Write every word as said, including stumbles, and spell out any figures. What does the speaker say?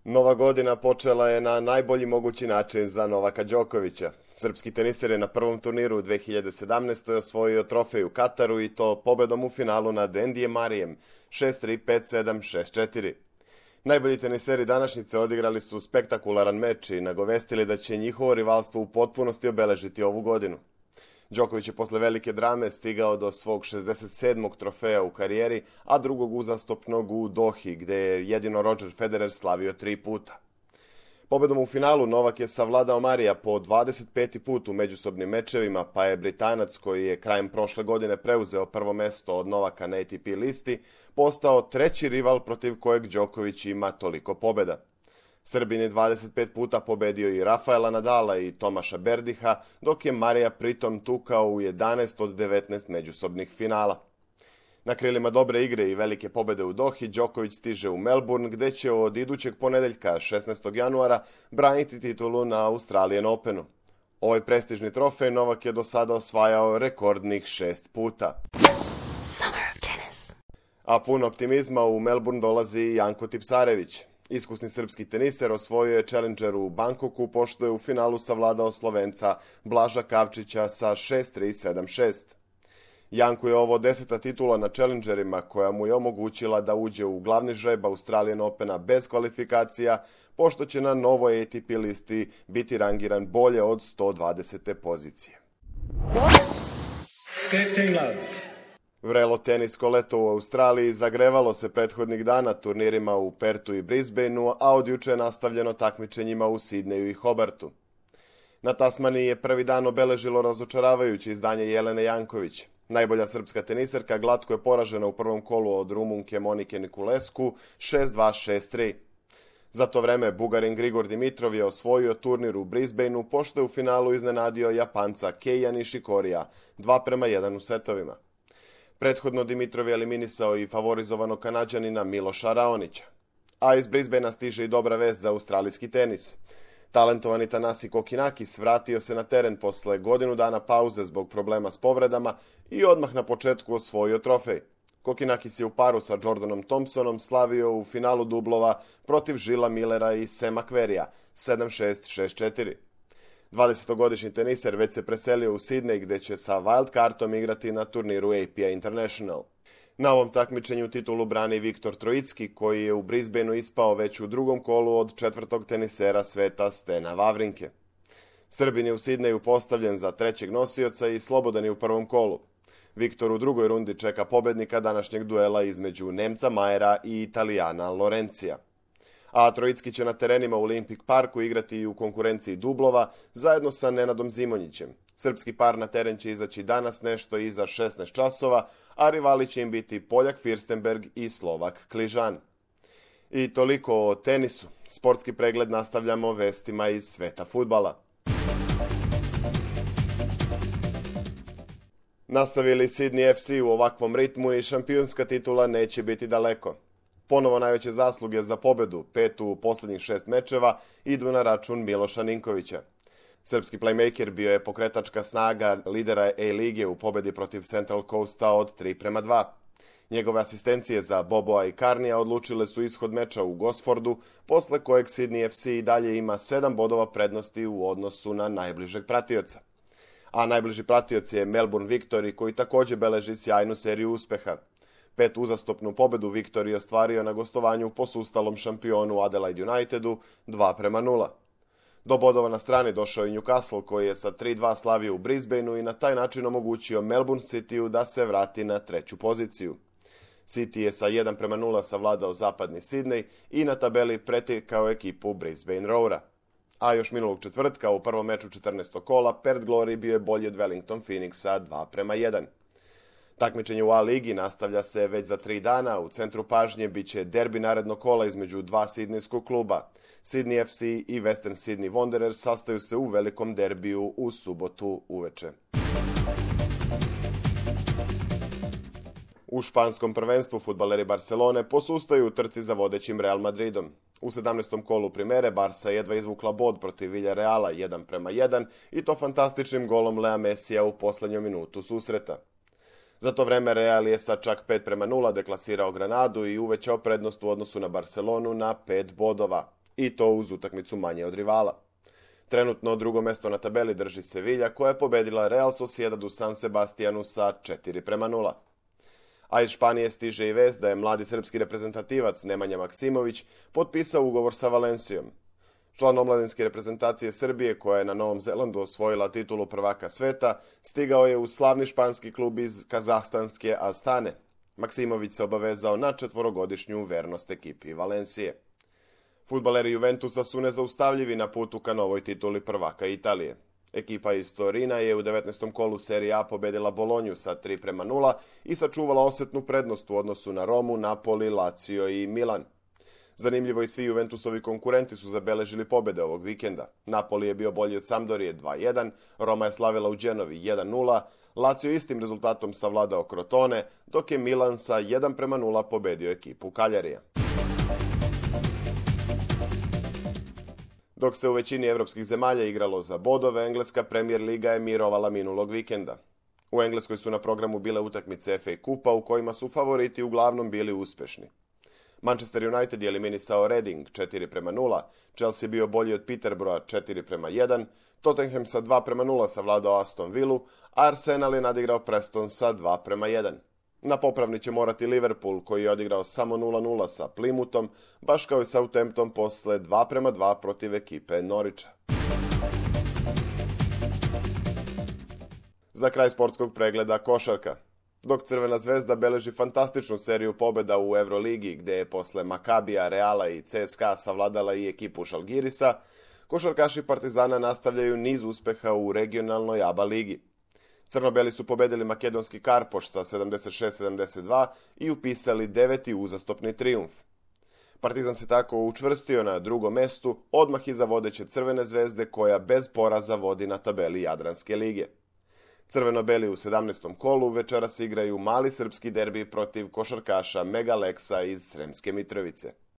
Nova godina počela je na najbolji mogući način za Novaka Đokovića. Srpski teniser je na prvom turniru u dve hiljade sedamnaestoj. osvojio trofej u Kataru i to pobedom u finalu nad Endijem Marijem šest tri, pet sedam, šest četiri. Najbolji teniseri današnjice odigrali su spektakularan meč i nagovestili da će njihovo rivalstvo u potpunosti obeležiti ovu godinu. Đoković je posle velike drame stigao do svog šezdeset sedmog trofeja u karijeri, a drugog uzastopnog u Dohi, gde je jedino Roger Federer slavio tri puta. Pobedom u finalu Novak je savladao Marija po dvadeset peti put u međusobnim mečevima, pa je Britanac, koji je krajem prošle godine preuzeo prvo mesto od Novaka na A T P listi, postao treći rival protiv kojeg Đoković ima toliko pobeda. Srbin je dvadeset pet puta pobedio i Rafaela Nadala i Tomaša Berdiha, dok je Marija pritom tukao u jedanaest od devetnaest međusobnih finala. Na krilima dobre igre i velike pobede u Dohi, Đoković stiže u Melbourne, gde će od idućeg ponedeljka, šesnaestog januara, braniti titulu na Australian Openu. Ovaj prestižni trofej Novak je do sada osvajao rekordnih šest puta. A pun optimizma u Melbourne dolazi i Janko Tipsarević. Iskusni srpski teniser osvojio je Challenger u Bangkoku, pošto je u finalu savladao Slovenca Blaža Kavčića sa šest tri, sedam šest. Janku je ovo deseta titula na Challengerima, koja mu je omogućila da uđe u glavni žreb Australian Opena bez kvalifikacija, pošto će na novoj A T P listi biti rangiran bolje od sto dvadesete pozicije. Vrelo tenisko leto u Australiji zagrevalo se prethodnih dana turnirima u Pertu i Brisbaneu, a od juče je nastavljeno takmičenjima u Sidneju i Hobartu. Na Tasmaniji je prvi dan obeležilo razočaravajuće izdanje Jelene Janković. Najbolja srpska teniserka glatko je poražena u prvom kolu od Rumunke Monike Niculescu šest dva, šest tri. Za to vreme Bugarin Grigor Dimitrov je osvojio turnir u Brisbaneu, pošto je u finalu iznenadio Japanca Keija Nishikorija dva prema jedan u setovima. Prethodno Dimitrov je eliminisao i favorizovanog Kanađanina Miloša Raonića. A iz Brisbanea stiže i dobra vest za australijski tenis. Talentovani Thanasi Kokkinakis vratio se na teren posle godinu dana pauze zbog problema s povredama i odmah na početku osvojio trofej. Kokkinakis je u paru sa Jordanom Thompsonom slavio u finalu dublova protiv Žila Millera i Sema Querrya sedam šest, šest četiri. dvadesetogodišnji teniser već se preselio u Sidney, gde će sa wildcardom igrati na turniru A P A International. Na ovom takmičenju titulu brani Viktor Trojicki, koji je u Brisbaneu ispao već u drugom kolu od četvrtog tenisera sveta Stena Wawrinke. Srbin je u Sidneju postavljen za trećeg nosioca i slobodan je u prvom kolu. Viktor u drugoj rundi čeka pobednika današnjeg duela između Nemca Majera i Italijana Lorencija. A Trojicki će na terenima u Olympic Parku igrati i u konkurenciji dublova zajedno sa Nenadom Zimonjićem. Srpski par na teren će izaći danas nešto iza šesnaest časova, a rivali će im biti Poljak Firstenberg i Slovak Kližan. I toliko o tenisu. Sportski pregled nastavljamo vestima iz sveta fudbala. Nastavili Sydney F C u ovakvom ritmu i šampionska titula neće biti daleko. Ponovo najveće zasluge za pobedu, pet u poslednjih šest mečeva, idu na račun Miloša Ninkovića. Srpski playmaker bio je pokretačka snaga lidera A-lige u pobedi protiv Central Coasta od tri prema dva. Njegove asistencije za Boboa i Karnija odlučile su ishod meča u Gosfordu, posle kojeg Sydney F C i dalje ima sedam bodova prednosti u odnosu na najbližeg pratioca. A najbliži pratioc je Melbourne Victory, koji takođe beleži sjajnu seriju uspeha. Pet uzastopnu pobedu Victory ostvario na gostovanju posustalom šampionu Adelaide Unitedu dva prema nula. Do bodova na strani došao i Newcastle, koji je sa tri dva slavio u Brisbaneu i na taj način omogućio Melbourne Cityu da se vrati na treću poziciju. City je sa jedan prema nula savladao zapadni Sidney i na tabeli pretekao ekipu Brisbane Roara. A još minulog četvrtka u prvom meču četrnaestog kola Perth Glory bio je bolji od Wellington Phoenixa dva prema jedan. Takmičenje u A-ligi nastavlja se već za tri dana. U centru pažnje biće derbi narednog kola između dva sidnejskog kluba. Sydney F C i Western Sydney Wanderers sastaju se u velikom derbiju u subotu uveče. U španskom prvenstvu fudbaleri Barcelone posustaju u trci za vodećim Real Madridom. U sedamnaestom kolu primere Barsa jedva izvukla bod protiv Villareala jedan prema jedan i to fantastičnim golom Lea Messija u poslednjoj minutu susreta. Za to vreme Real je sa čak pet prema nula deklasirao Granadu i uvećao prednost u odnosu na Barcelonu na pet bodova. i to uz utakmicu manje od rivala. Trenutno drugo mesto na tabeli drži Sevilla, koja je pobedila Real Sociedad u San Sebastianu sa četiri prema nula. A iz Španije stiže i vest da je mladi srpski reprezentativac Nemanja Maksimović potpisao ugovor sa Valencijom. Član omladinske reprezentacije Srbije, koja je na Novom Zelandu osvojila titulu prvaka sveta, stigao je u slavni španski klub iz kazahstanske Astane. Maksimović se obavezao na četvorogodišnju vernost ekipi Valencije. Fudbaleri Juventusa su nezaustavljivi na putu ka novoj tituli prvaka Italije. Ekipa iz Torina je u devetnaestom kolu Serije A pobedila Bolonju sa tri prema nula i sačuvala osetnu prednost u odnosu na Romu, Napoli, Lazio i Milan. Zanimljivo, i svi Juventusovi konkurenti su zabeležili pobede ovog vikenda. Napoli je bio bolji od Sampdorije dva jedan, Roma je slavila u Genovi jedan nula, Lazio istim rezultatom savladao Crotone, dok je Milan sa jedan prema nula pobedio ekipu Kaljarija. Dok se u većini evropskih zemalja igralo za bodove, engleska Premier Liga je mirovala minulog vikenda. U Engleskoj su na programu bile utakmice F A kupa u kojima su favoriti uglavnom bili uspešni. Manchester United je eliminisao Reading četiri prema nula, Chelsea bio bolji od Peterborougha četiri prema jedan, Tottenham sa dva prema nula savladao Aston Villu, a Arsenal je nadigrao Preston sa dva prema jedan. Na popravni će morati Liverpool, koji je odigrao samo nula nula sa Plymouthom, baš kao i Southampton posle dva prema dva protiv ekipe Norwicha. Za kraj sportskog pregleda košarka. Dok Crvena zvezda beleži fantastičnu seriju pobjeda u Euroligi, gde je posle Makabija, Reala i C S K A savladala i ekipu Žalgirisa, košarkaši Partizana nastavljaju niz uspeha u regionalnoj A B A ligi. Crnobeli su pobedili makedonski Karpoš sa sedamdeset šest sedamdeset dva i upisali deveti uzastopni trijumf. Partizan se tako učvrstio na drugom mestu, odmah iza vodeće Crvene zvezde, koja bez poraza vodi na tabeli Jadranske lige. Crveno-beli u sedamnaestom kolu večeras igraju mali srpski derbi protiv košarkaša Megaleksa iz Sremske Mitrovice.